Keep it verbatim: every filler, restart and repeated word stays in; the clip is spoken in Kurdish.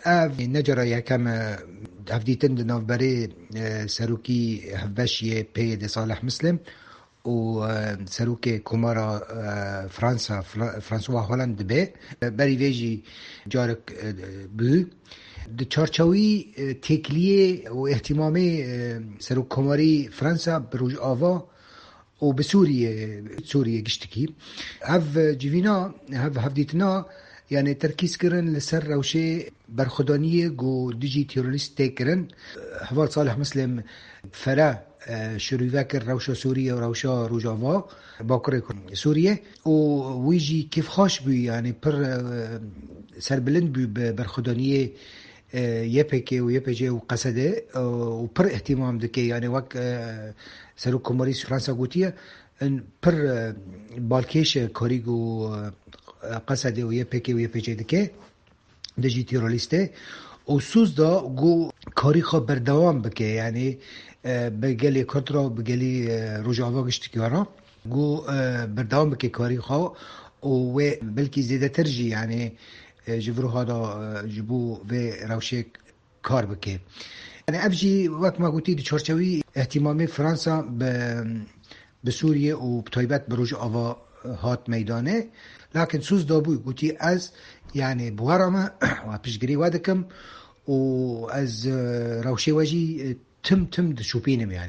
Ev ne cara yekem e hevdîtin di navberê e, serokî hevbeş yê P Y D Salih Muslim û e, serokê Komara e, Fransa, Fra- François Hollande dibe. E, Berî vê jî carek e, bû. Di çarçewî e, têkiliyê û îhtîmamê e, serokkomarî Fransa bi Rojava û bi Sûriyê, Sûriyê giştikî. Ev civîna, ev hevdîtina, yani terkîz kirin li ser rewşê berxwedaniyê ku dijî terorîst tê kirin. Heval Salih Muslim fere e, şirîve kir rewşa Sûriyê û rewşa Rojava, Bakurê Kur- Sûriyê û wî jî kêfxweş bû, yani pir e, serbilind bû bi berxwedaniyê e, Y P G û Y P G û Qesede e, û pir îhtîmam dike, yani wek e, Serokkomarî Fransa gotiye, in pir e, balkêş e karî ku e, Qesede û Y P G û Y P G dike dijî terorîstê û soz da ku karî xwe berdewam bike, yani e, bi gelê Kurd re, bi gelî e, Rojava giştikî re ku e, berdewam bike karî xwe û wê belkî zêdetir jî, yani e, ji vir û hada e, ji bo vê rewşê kar bike. Yani ev jî wek me gotî di çarçewî îhtîmamê Fransa bi, bi Sûriye û bi taybet bi Rojava hat meydanê. Lakin soz dabû, gotî ez, yani bi we re me, we piştgirî we dikim û ez e, rewşê we jî e, tim tim dişopînim yani.